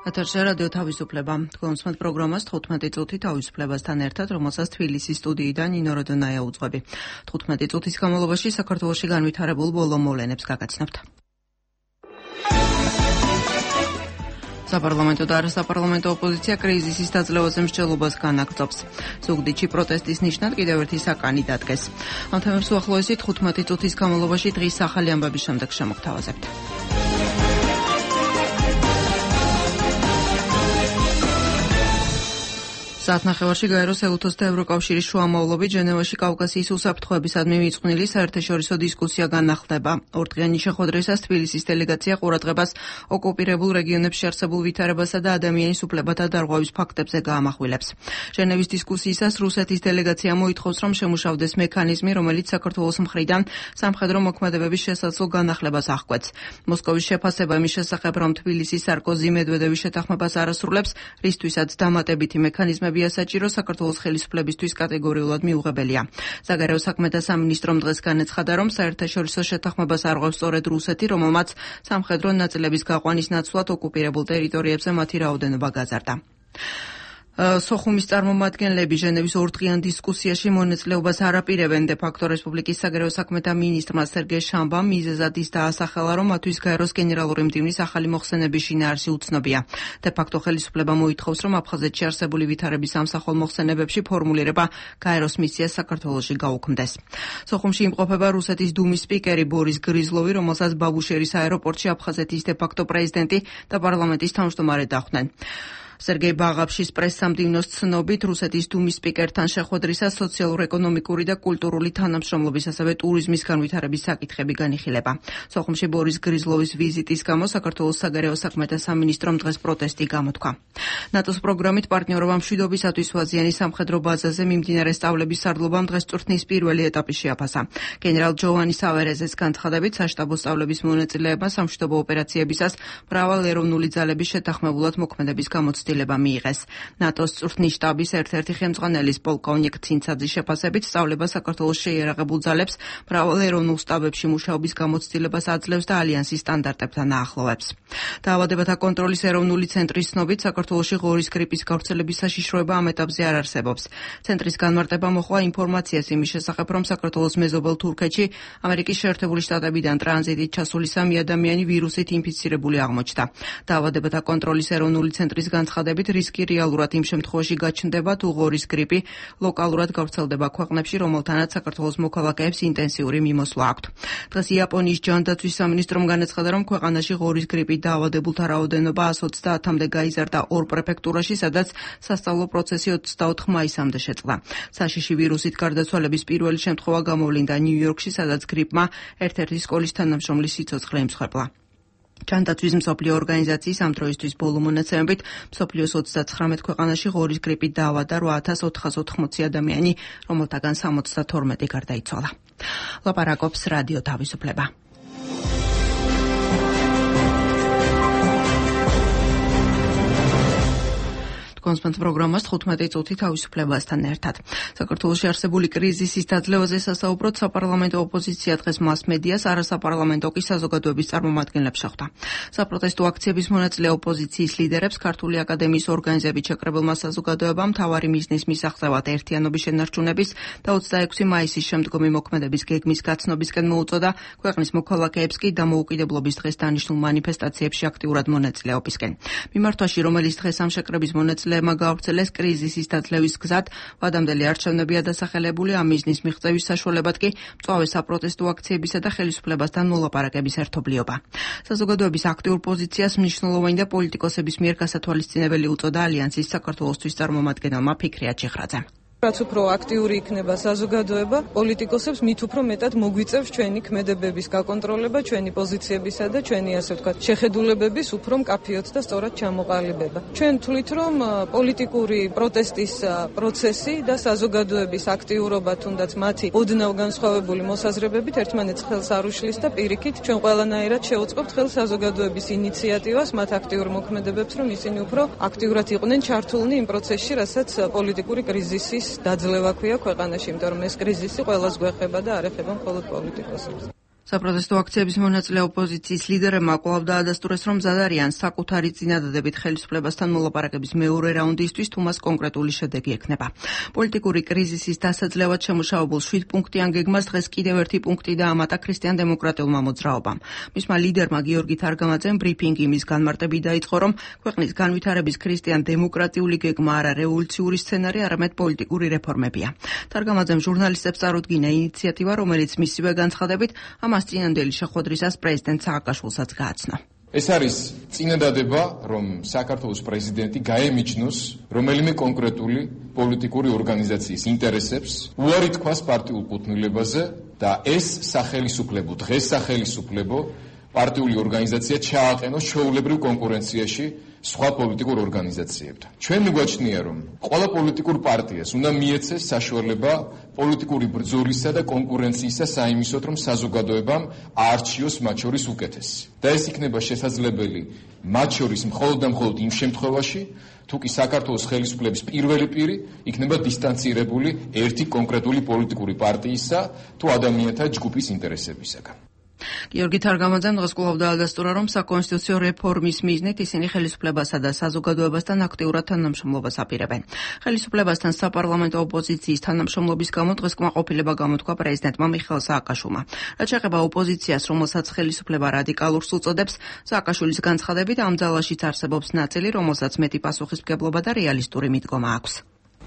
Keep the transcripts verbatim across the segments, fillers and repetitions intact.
ეთერში რადიო თავისუფლება. Თქვენს პროგრამას თხუთმეტი წუთი თავისუფლებასთან ერთად, რომელსაც თბილისის სტუდიიდან ნინო როდონაია უძღვები. თხუთმეტი წუთის განმავლობაში საქართველოში განვითარებულ ბოლო მოვლენებს გაგაცნობთ. საპარლამენტო და არასაპარლამენტო ოპოზიცია კრიზისის დაძლევაზე მსჯელობას განაგრძობს. ზუგდიდში პროტესტის ნიშნად კიდევ ერთი საკანი დადგეს. ამ თემებს უახლოესი თხუთმეტი წუთის განმავლობაში დღის ახალი ამბების შემდეგ შემოგთავაზებთ. საათნახევარში გაეროს ელუთოს და ევროკავშირის შუამავლობით ჟენევაში კავკასიის უსაფრთხოებისადმი მიწყვნილი საერთაშორისო დისკუსია განახლდება. ორდღიანი შეხვედრისას თბილისის დელეგაცია ყურადღებას ოკუპირებულ რეგიონებში არსებულ ვითარებასა და ადამიანის უფლებათა დარღვევის ფაქტებზე გაამახვილებს. ჟენევის დისკუსიისას რუსეთის დელეგაცია მოითხოვს, რომ შემუშავდეს მექანიზმი, რომელიც საქართველოს მხრიდან სამხედრო მოქმედებების შესაძლო განახლებას აღკვეთს. მოსკოვის შეფასება იმის შესახებ, რომ თბილისის სარკოზი მედვედევის შეთანხმებას არ ასრულებს, რისთვისაც დამატებითი მექანიზმები საჭირო საქართველოს ხელისუფლებისთვის კატეგორიულად მიუღებელია. საგარეო საქმეთა სამინისტრომ დღეს განაცხადა, რომ საერთაშორისო შეთანხმებას არღვევს სწორედ რუსეთი, რომელმაც სამხედრო ნაწილების გაყვანის ნაცვლად ოკუპირებულ ტერიტორიებზე მათი რაოდენობა გაზარდა. სოხუმის წარმომადგენლები ჟენევის ორდღიან დისკუსიაში მონაწილეობას არ აპირებენ. დე ფაქტო რესპუბლიკის საგარეო საქმეთა მინისტრმა სერგეი შამბამ მიზეზად ის დაასახელა, რომ მათთვის გაეროს გენერალური მდივნის ახალი მოხსენების შინაარსი უცნობია. დე ფაქტო ხელისუფლება მოითხოვს, რომ აფხაზეთში არსებული ვითარების სამსახურ მოხსენებებში ფორმულირება გაეროს მისიას საქართველოში გაუქმდეს. სოხუმში იმყოფება რუსეთის დუმის სპიკერი ბორის გრიზლოვი, რომელსაც ბაბუშერის აეროპორტში აფხაზეთის დე ფაქტო პრეზიდენტი და პარლამენტის თავმჯდომარე დახვდნენ. სერგეი ბაღაფშის პრესსამდივნოს ცნობით, რუსეთის დუმის სპიკერთან შეხვედრისას სოციალურ-ეკონომიკური და კულტურული თანამშრომლობის, ასევე ტურიზმის განვითარების საკითხები განიხილება. სოხუმში ბორის გრიზლოვის ვიზიტის გამო საქართველოს საგარეო საქმეთა სამინისტრომ დღეს პროტესტი გამოთქვა. ნატოს პროგრამით პარტნიორობა მშვიდობისათვის ვაზიანი სამხედრო ბაზაზე მიმდინარე სწავლების სარდლობამ დღეს წვრთნის პირველი ეტაპი შეაფასა. გენერალ ჯოვანი სავერეზეს განცხადებით, საშტაბო სწავლების მონაწილეებმა სამშვიდობო ოპერაციებისას მრავალ ეროვნული ძალების შეთანხმებულად მოქმედების გამოცდილება მიიღეს. ნატოს წვრთნის შტაბის ერთ-ერთი ხელმძღვანელის პოლკოვნიკ ცინცაძის შეფასებით, სწავლება საქართველოს შეიარაღებულ ძალებს მრავალ ეროვნულ შტაბებში მუშაობის გამოცდილებას აძლევს და ალიანსის სტანდარტებთან აახლოვებს. დაავადებათა კონტროლის ეროვნული ცენტრის ცნობით, საქართველოში ღორის გრიპის გავრცელების საშიშროება ამ ეტაპზე არ არსებობს. ცენტრის განმარტება მოჰყვა ინფორმაციას იმის შესახებ, რომ საქართველოს მეზობელ თურქეთში ამერიკის შეერთებული შტატებიდან ტრანზიტით ჩასული სამი ადამიანი ვირუსით ინფიცირებული აღმოჩნდა. დაავადებათა კონტროლის ეროვნული ცენტრის განცხადებით, რისკი რეალურად იმ შემთხვევაში გაჩნდება, თუ ღორის გრიპი ლოკალურად გავრცელდება ქვეყნებში, რომელთანაც საქართველოს მოქალაქეებს ინტენსიური მიმოსვლა აქვთ. დღეს იაპონიის ჯანდაცვის სამინისტრომ განაცხადა, რომ ქვეყანაში ღორის გრიპით დაავადებულთა რაოდენობა ას ოცდაათამდე გაიზარდა ორ პრეფექტურაში, სადაც სასწავლო პროცესი ოცდაოთხ მაისამდე შეწყდა. საშიში ვირუსით გარდაცვალების პირველი შემთხვევა გამოვლინდა ნიუ-იორკში, სადაც გრიპმა ერთ-ერთი სკოლის თანამშრომლის სიცოცხლე იმსხვერპლა. ჯანდაცვის მსოფლიო ორგანიზაციის ამ დროისთვის ბოლო მონაცემებით მსოფლიოს ოცდაცხრამეტ ქვეყანაში ღორის გრიპით დაავადდა რვა ათას ოთხას ოთხმოცი ადამიანი, რომელთაგან სამოცდათორმეტი გარდაიცვალა. ლაპარაკობს რადიო თავისუფლება. კონსპენს პროგრამას თხუთმეტი წუთი თავისუფლებასთან ერთად. საქართველოში არსებული კრიზისის დაძლევაზე სასაუბროდ საპარლამენტო ოპოზიცია დღეს მას-მედიას, არასაპარლამენტო კი საზოგადოების წარმომადგენლებს შეხვდა. საპროტესტო აქციების მონაწილე ოპოზიციის ლიდერებს ქართული აკადემიის ორგანიზებით შეკრებილმა საზოგადოებამ მთავარი მიზნის მისაღწევად ერთიანობის შენარჩუნების და ოცდაექვსი მაისის შემდგომი მოქმედების გეგმის გაცნობისკენ მოუწოდა, ქვეყნის მოქალაქეებს კი დამოუკიდებლობის დღეს დანიშნულ მანიფესტაციებში აქტიურად მონაწილეობისკენ. მიმართვაში, რომელიც დღეს ამ შეკრების მონაწილე გავრცელეს კრიზისის დაძლევის გზად, ვადამდელი არჩევნებია დასახელებული, ამ მიზნის მიღწევის საშუალებად კი მწვავე საპროტესტო აქციებისა და ხელისუფლებასთან მოლაპარაკების ერთობლიობა. საზოგადოების აქტიურ პოზიციას მნიშვნელოვანი და პოლიტიკოსების მიერ გასათვალისწინებელი უწოდა ალიანსის საქართველოსთვის წარმომადგენელმა ფიქრია ჩიხრაძემ. რაც უფრო აქტიური იქნება საზოგადოება, პოლიტიკოსებს მით უფრო მეტად მოგვიწევს ჩვენი ქმედებების გაკონტროლება, ჩვენი პოზიციებისა და ჩვენი, ასე ვთქვათ, შეხედულებების უფრო მკაფიოდ და სწორად ჩამოყალიბება. ჩვენ თვლით, რომ პოლიტიკური პროტესტის პროცესი და საზოგადოების აქტიურობა, თუნდაც მათი ოდნავ განსხვავებული მოსაზრებებით ერთმანეთს ხელს არ უშლის და პირიქით ჩვენ ყველანაირად შევუწყობთ ხელს საზოგადოების ინიციატივას, მათ აქტიურ მოქმედებებს, რომ ისინი უფრო აქტიურად იყვნენ ჩართულნი იმ პროცესში, რასაც პოლიტიკური კრიზისის დაძლევა ქვია ქვეყანაში, იმიტომ რომ ეს კრიზისი ყველას გვეხება და არ ეხება მხოლოდ პოლიტიკოსებს. საპროტესტო აქციების მონაწილე ოპოზიციის ლიდერებმა კვლავ დაადასტურეს, რომ მზად არიან საკუთარი წინადადებით ხელისუფლებასთან მოლაპარაკების მეორე რაუნდისთვის, თუ მას კონკრეტული შედეგი ექნება. პოლიტიკური კრიზისის დასაძლევად შემუშავებულ შვიდპუნქტიან გეგმას დღეს კიდევ ერთი პუნქტი დაამატა ქრისტიან-დემოკრატიულმა მოძრაობამ. მისმა ლიდერმა გიორგი თარგამაძემ ბრიფინგი იმის განმარტებით დაიწყო, რომ ქვეყნის განვითარების ქრისტიან-დემოკრატიული გეგმა არა რევოლუციური სცენარი, არამედ პოლიტიკური რეფორმებია. თარგამაძემ ჟურნალისტებს წარუდგინა ინიციატივა, რომელიც მისივე განცხადებით ამას წინანდელი შეხვედრისას პრეზიდენტ სააკაშვილსაც გააცნო. ეს არის წინადადება, რომ საქართველოს პრეზიდენტი გაემიჯნოს რომელიმე კონკრეტული პოლიტიკური ორგანიზაციის ინტერესებს, უარი თქვას პარტიულ კუთვნილებაზე და ეს სახელისუფლებო, დღეს სახელისუფლებო პარტიული ორგანიზაცია ჩააყენოს ჩვეულებრივ კონკურენციაში სხვა პოლიტიკურ ორგანიზაციებთან. ჩვენ მიგვაჩნია, რომ ყველა პოლიტიკურ პარტიას უნდა მიეცეს საშუალება პოლიტიკური ბრძოლისა და კონკურენციისა საიმისოდ, რომ საზოგადოებამ აარჩიოს მათ შორის უკეთესი. და ეს იქნება შესაძლებელი მათ შორის მხოლოდ და მხოლოდ იმ შემთხვევაში, თუ კი საქართველოს ხელისუფლების პირველი პირი იქნება დისტანცირებული ერთი კონკრეტული პოლიტიკური პარტიისა თუ ადამიანთა ჯგუფის ინტერესებისაგან. გიორგი თარგამაძემ დღეს კვლავ დაადასტურა, რომ საკონსტიტუციო რეფორმის მიზნით ისინი ხელისუფლებასა და საზოგადოებასთან აქტიურად თანამშრომლობას აპირებენ. ხელისუფლებასთან საპარლამენტო ოპოზიციის თანამშრომლობის გამო დღეს კმაყოფილება გამოთქვა პრეზიდენტმა მიხეილ სააკაშვილმა. რაც შეეხება ოპოზიციას, რომელსაც ხელისუფლება რადიკალურს უწოდებს, სააკაშვილის განცხადებით ამ ძალაშიც არსებობს ნაწილი, რომელსაც მეტი პასუხისმგებლობა და რეალისტური მიდგომა აქვს.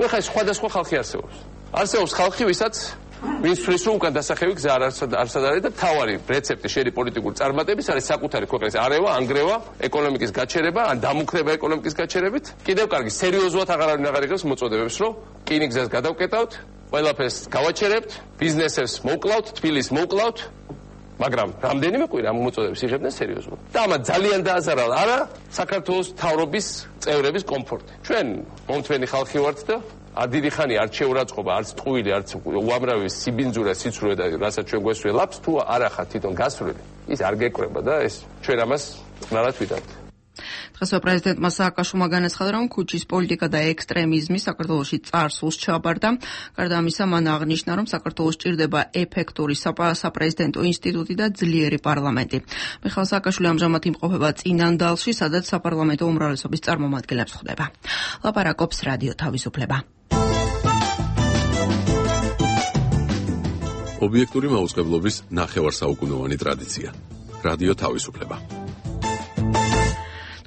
ხა სხვადასხვა ხალხი არსებობს. არსებობს ხალხი, ვისაც ვინც თვლის, რომ უკან დასახევი გზა არ არის და თავარი რეცეპტი შერი პოლიტიკური წარმატების არის საკუთარი ქვეყნის არევა, ანგრევა, ეკონომიკის გაჩერება, ან დამუქრება ეკონომიკის გაჩერებით. კიდევ კარგი, სერიოზულად აღარავინ აღარ იღებს მოწოდებებს, რომ რკინიგზას გადავკეტავთ, ყველაფერს გავაჩერებთ, ბიზნესებს მოვკლავთ, თბილისს მოვკლავთ, მაგრამ რამდენიმე კვირა ამ მოწოდებებს იღებდნენ სერიოზულად. და ამათ ძალიან დააზარა არა საქართველოს მთავრობის წევრების კომფორტი. ჩვენ მომთვენი ხალხი ვართ და არ დიდი ხანი არც შეურაცხყოფა, არც ტყუილი, არც უამრავი სიბინძურა, სიცრუე და რასაც ჩვენ გვესველებს, თუ არ ახათ თვითონ გასვლილი, ის არ გეკრება და ეს ჩვენ ამას ნარად ვიტანთ. დღესვე პრეზიდენტმა სააკაშვილმა განაცხადა, რომ ქუჩის პოლიტიკა და ექსტრემიზმი საქართველოში წარსულს ჩაბარდა. გარდა ამისა, მან აღნიშნა, რომ საქართველოს ჭირდება ეფექტური საპრეზიდენტო ინსტიტუტი და ძლიერი პარლამენტი. მიხეილ სააკაშვილი ამჟამად იმყოფება წინანდალში, სადაც საპარლამენტო უმრავლესობის წარმომადგენლებს ხვდება. ლაპარაკობს რადიო თავისუფლება. ობიექტური მაუწყებლობის ნახევარსაუკუნოვანი ტრადიცია. რადიო თავისუფლება.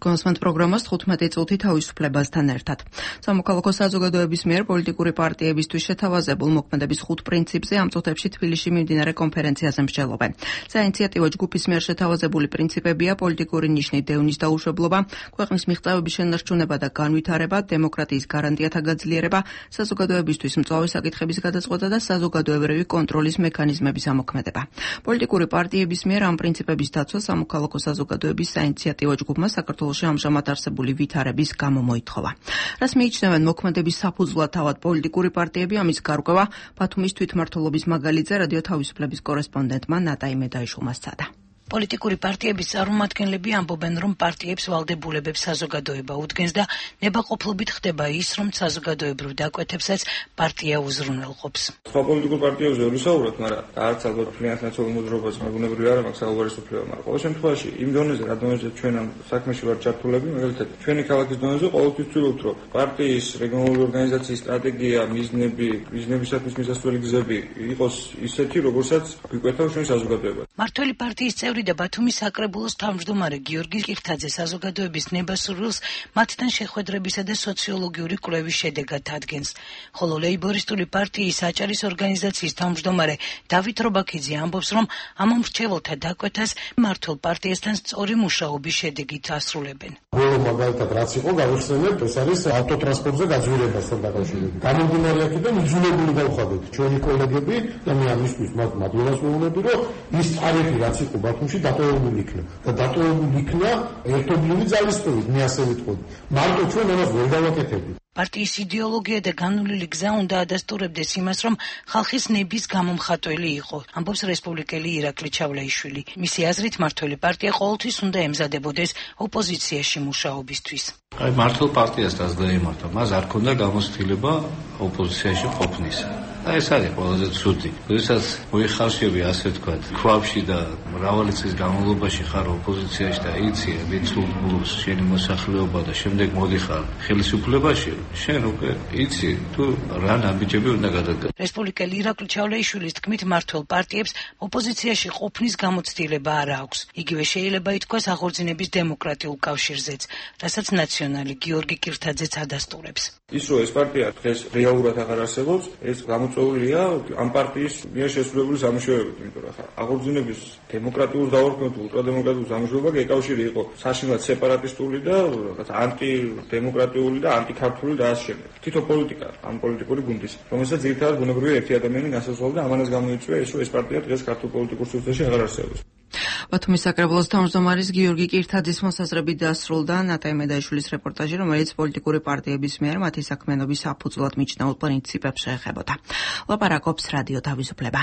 კონსმენტ პროგრამას თხუთმეტი წუთი თავისუფლებასთან ერთად. სამოქალაქო საზოგადოების მიერ პოლიტიკური პარტიებისთვის შეთავაზებულ მოქმედების ხუთ პრინციპზე ამ წუთებში თბილისში მიმდინარე კონფერენციაზე მსჯელობენ. საინიციატივო ჯგუფის მიერ შეთავაზებული პრინციპებია პოლიტიკური ნიშნით დევნის დაუშვებლობა, ქვეყნის მიღწევების შენარჩუნება და განვითარება, დემოკრატიის გარანტიათა გაძლიერება, საზოგადოებისთვის მწვავე საკითხების გადაწყვეტა და საზოგადოებრივი კონტროლის მექანიზმების ამოქმედება. პოლიტიკური პარტიების მიერ ამ პრინციპების დაცვა სამოქალაქო საზოგადოების საინიციატივო ჯგუფმა საქართველოს ამჟამად არსებული ვითარების გამო მოითხოვა. რას მიიჩნევენ მოქმედების საფუძვლად თავად პოლიტიკური პარტიები, ამის გარკვევა ბათუმის თვითმმართველობის მაგალითზე რადიო თავისუფლების კორესპონდენტმა ნატაი მედაიშვილმა სცადა. პოლიტიკური პარტიების წარმომადგენლები ამბობენ, რომ პარტიებს ვალდებულებებს საზოგადოება უდგენს და ნებაყოფლობით ხდება ის, რომ საზოგადოებრივ დაკვეთებსაც პარტია უზრუნველყოფს. სხვა პოლიტიკურ პარტიებზე ვერ ვისაუბროთ, მაგრამ არც ალბათ ფინანსურ ნაცნობ მოძრაობას მეგობრები არ აქვს საუბარი სოფლიო, მაგრამ ყოველ შემთხვევაში იმ დონეზე, რა დონეზე ჩვენ ამ საქმეში ვართ ჩართულები, მაგალითად, ჩვენი ქალაქის დონეზე ყოველთვის ვცდილობთ, რომ პარტიის რეგიონალური ორგანიზაციის სტრატეგია, მიზნები, მიზნებისათვის მისასვლელი გზები იყოს ისეთი, როგორცაც გვიკვეთავ ჩვენ საზოგადოებას. მართველი პარტიის წევრი და ბათუმის საკრებულოს თავმჯდომარე გიორგი კირთაძე საზოგადოების ნებასურვილს მათთან შეხვედრებისა და სოციოლოგიური კვლევის შედეგად ადგენს. ხოლო ლეიბორისტული პარტიის აჭარის ორგანიზაციის თავმჯდომარე დავით რობაქიძე ამბობს, რომ ამ მრჩეველთა დაკვეთას მართულ პარტიასთან სწორი მუშაობის შედეგით ასრულებენ. ბოლო მაგალითად რაც იყო გავიხსენებ, ეს არის ავტოტრანსპორტზე გაძვირებასთან დაკავშირებით. გამომდინარე აქედან იძულებული გავხადეთ ჩვენი კოლეგები და მე ამისთვის მათ მადლობას ვეუბნები, რომ ის ტარიფი რაც იყო ბათუმში დატოვებული იქნა და დატოვებული იქნა ერთობლივი ძალისხმევით, მე ასე ვიტყოდი. მარტო ჩვენ ამას ვერ გავაკეთებთ. პარტიის იდეოლოგია და განვლილი გზა უნდა ადასტურებდეს იმას, რომ ხალხის ნების გამომხატველი იყო, ამბობს რესპუბლიკელი ირაკლი ჩავლეიშვილი. მისი აზრით, მართველი პარტია ყოველთვის უნდა ემზადებოდეს ოპოზიციაში მუშაობისთვის. აი მართლ პარტიას დაძლებდა, მას არ ქონდა გამოცდილება ოპოზიციაში ყოფნისა. და ეს არის ყველაზე ცუდი. როდესაც მოიხარშები ასე ვთქვათ, ქვაბში და მრავალი წლის განმავლობაში ხარ ოპოზიციაში და იცი ვიწულს შენი მოსახლეობა და შემდეგ მოდიხარ ხელისუფლებაში, შენ უკვე იცი თუ რა ნაბიჯები უნდა გადადგა. რესპუბლიკელი ირაკლი ჩავლეიშვილის თქმით, მმართველ პარტიებს ოპოზიციაში ყოფნის გამოცდილება არ აქვს. იგივე შეიძლება ითქვას აღორძინების დემოკრატიულ კავშირზეც, რასაც ნაციონალი გიორგი კირთაძეც ადასტურებს. ის რომ ეს პარტია დღეს რეალურად აღარ არსებობს, ეს გამოწვეულია ამ პარტიის მიერ შესრულებული სამუშაოებით, იმიტომ რომ აღორძინების დემოკრატიულ დაორქმებულ ულტრადემოკრატიულ სამუშაოებთან ეკავშირი იყო საშინლად სეპარატისტული და რაღაცა ანტიდემოკრატიული და ანტიქართული და ასე შემდეგ. თითო პოლიტიკა, ამ პოლიტიკური გუნდის, რომელსაც ძირითადად ბუნებრივია ერთი ადამიანი განსაზღვრავდა და ამანაც გამოიწვია ის, რომ ეს პარტია დღეს ქართულ პოლიტიკურ სივრცეში აღარ არსებობს. ბათუმის საკრებულოს თავმჯდომარის გიორგი კირთაძის მოსაზრებით დასრულდა ნატაი მედაიშვილის რეპორტაჟი, რომელიც პოლიტიკური პარტიების მიერ მათი საქმიანობის საფუძვლად მიჩნეულ პრინციპებს შეეხებოდა. ლაპარაკობს რადიო თავისუფლება.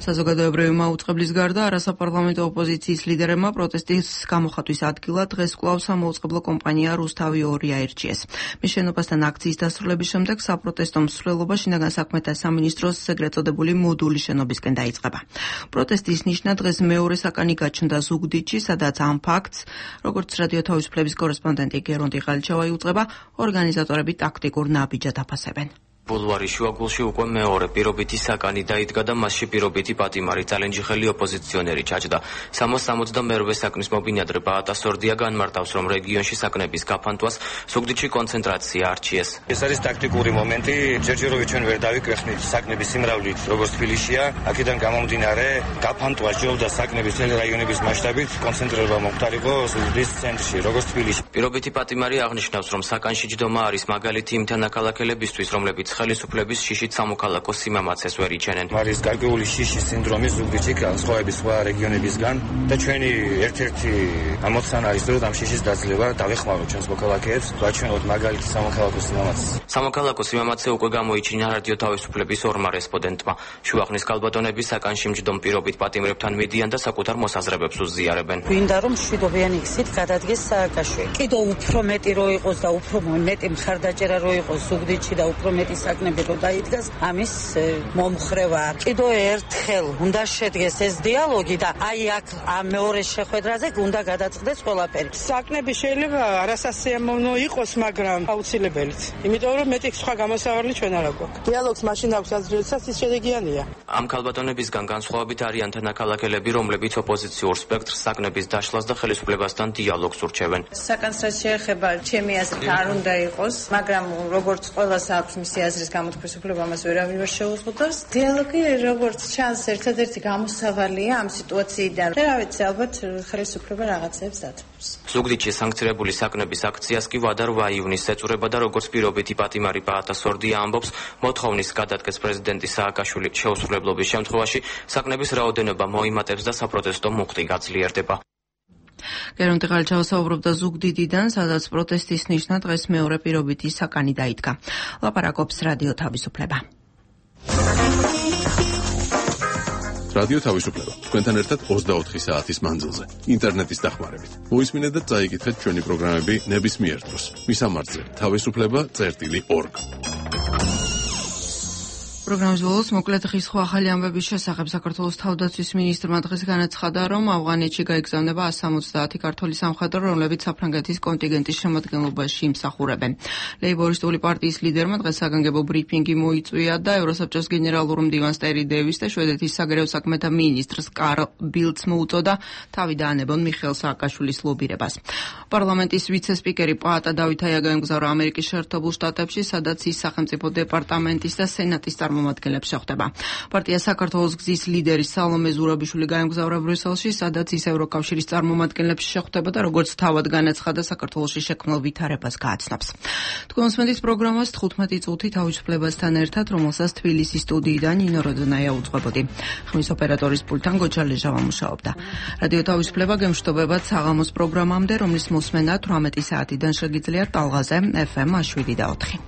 საზოგადოებრივი მაუწყებლის გარდა არასაპარლამენტო ოპოზიციის ლიდერებმა პროტესტის გამოხატვის ადგილად დღეს კვლავ სამაუწყებლო კომპანია რუსთავი ორი აირჩიეს. მის შენობასთან აქციის დასრულების შემდეგ საპროტესტო მსვლელობა შინაგან საქმეთა სამინისტროს ეგრეთ წოდებული მოდულის შენობისკენ დაიწყება. პროტესტის ნიშნა დღეს მეორე საკანი გაჩნდა ზუგდიდში, სადაც ამ ფაქტს, როგორც რადიო თავისუფლების კორესპონდენტი გერონტი ყალჩავა იუწყება, ორგანიზატორები ტაქტიკურ ნაბიჯად აფასებენ. ბულვარის შუაგულში უკვე მეორე პირობითი საკანი დაიდგა და მასში პირობითი პატიმარი წალენჯიხელი ოპოზიციონერი ჩაჯდა. სამას სამოცდამეორვე საკნის მობინადრება ატასორდია განმარტავს, რომ რეგიონში საკნების გაფანტვას ზუგდიდში კონცენტრაცია არჩიეს. ეს არის ტაქტიკური მომენტი, ჯერჯერობით ჩვენ ვერ დავიკვეხნით საკნების სიმრავლით, როგორც თბილისშია, აქედან გამომდინარე გაფანტვა ჯობდა საკნების წელი რაიონების მასშტაბით, კონცენტრირება მომხდარიყო ზუგდიდის ცენტრში, როგორც თბილისში. პირობითი პატიმარი აღნიშნავს, რომ საკანში ჯდომა არის მაგალითი იმ თანაქალაქელებისთვის, რომლებიც ხელისუფლების შიშით სამოქალაქო სიმამაცეს ვერ იჩენენ. არის გარკვეული შიშის სინდრომი ზუგდიდში განსხვავების სხვა რეგიონებისგან და ჩვენი ერთ-ერთი ამოცანა არის, რომ ამ შიშის დაძლევა დავეხმაროთ ჩვენს მოქალაქეებს, ვაჩვენოთ მაგალითი სამოქალაქო სიმამაცეს. სამოქალაქო სიმამაცე უკვე გამოიჩინა რადიო თავისუფლების ორმა რესპონდენტმა. შუახნის კალბატონები საკანში მჯდომ პირობით პატიმრებთან მიდიან და საკუთარ მოსაზრებებს უზიარებენ. გვინდა რომ მშვიდობიანი გზით გადადგეს სააკაშვილი. კიდევ უფრო მეტი რო იყოს და უფრო მეტი მხარდაჭერა რო იყოს ზუგდიდში და უფრო მეტი საკნები რო დაიდგას, ამის მომხრევა. კიდევ ერთხელ უნდა შედგეს ეს დიალოგი და აი აქ ამ მეორე შეხვედრაზე უნდა გადაწყდეს ყველაფერი. საკნები შეიძლება არასასიამოვნო იყოს, მაგრამ აუცილებელიც. იმიტომ რომ მეტი სხვა გამოსავალი ჩვენ არ აქვს. დიალოგს მაშინ აქვს აზრიელსაც ის შედეგიანია. ამ კალბატონებისგან განსხვავებით არიან თანაქალაქელები, რომლებიც ოპოზიციურ სპექტრს საკნების დაშლას და ხელისუფლებასთან დიალოგს ურჩევენ. საკანს რაც შეეხება, ჩემი აზრით არ უნდა იყოს, მაგრამ როგორც ყველას აქვს მისი აზრის გამოთქმის უფლება, ამას ვერავინ ვერ შეუზღუდავს. დიალოგი როგორც ჩანს ერთადერთი გამოსავალია ამ სიტუაციიდან. და რა ვიცი, ალბათ ხელისუფლება რაღაცებს დათმობს. ზუგდიდში სანქცირებული საკნების აქციას კი ვადა რვა ივნისს ეწურება და როგორც პირობითი პატიმარი ბაატასორდია ამბობს, მოთხოვნის გადადგეს პრეზიდენტი სააკაშვილი შეუსრულებლობის შემთხვევაში საკნების რაოდენობა მოიმატებს და საპროტესტო მუხტი გაძლიერდება. გერონტი ყალჩავა საუბრობდა ზუგდიდიდან, სადაც პროტესტის ნიშნა დღეს მეორე პირობითი საკანი დაიდგა. ლაპარაკობს რადიო თავისუფლება. რადიო თავისუფლება. თქვენთან ერთად ოცდაოთხი საათის მანძილზე. ინტერნეტის დახმარებით. მოისმინეთ და წაიკითხეთ ჩვენი პროგრამები ნებისმიერ დროს. მისამართზე თავისუფლება წერტილი ორგ. პროგრამის ბოლოს მოკლედ ხის-ხვა ახალი ამბების შესახებ საქართველოს თავდაცვის მინისტრმა დღეს განაცხადა, რომ ავღანეთში გაიგზავნება ასი სამოცდაათი ქართველი სამხედრო, რომლებიც საფრანგეთის კონტინგენტის შემადგენლობაში იმსახურებენ. ლეიბორისტული პარტიის ლიდერმა დღეს საგანგებო ბრიფინგი მოიწვია და ევროსაბჭოს გენერალურ მდივანს ტერი დევის და შვედეთის საგარეო საქმეთა მინისტრს კარლ ბილდს მოუწოდა თავი დაანებონ მიხეილ სააკაშვილის ლობირებას. პარლამენტის ვიცე-სპიკერი პაატა დავითაია გაემგზავრა ამერიკის შეერთებულ შტატებში, სადაც ის სახელმწიფო დეპარტამენტის და სენატის წარმომადგენლებს შეხვდება. პარტია საქართველოს გზის ლიდერი სალომე ზურაბიშვილი გაემგზავრა ბრიუსელში, სადაც ის ევროკავშირის წარმომადგენლებს შეხვდება და როგორც თავად განაცხადა, საქართველოში შექმნილ ვითარებას გააცნობს. თქვენ მოსმენთ პროგრამას თხუთმეტი წუთი თავისუფლებასთან ერთად, რომელსაც თბილისის სტუდიიდან ნინო როდონაია უძღვებოდი. ხმის ოპერატორის პულტთან გოჩალეჟავა მუშაობდა. რადიო თავისუფლება გემშვიდობებად საღამოს პროგრამამდე, რომლის მოსმენა თვრამეტი საათიდან შეგიძლიათ ტალღაზე ეფ ემ შვიდი და ოთხი.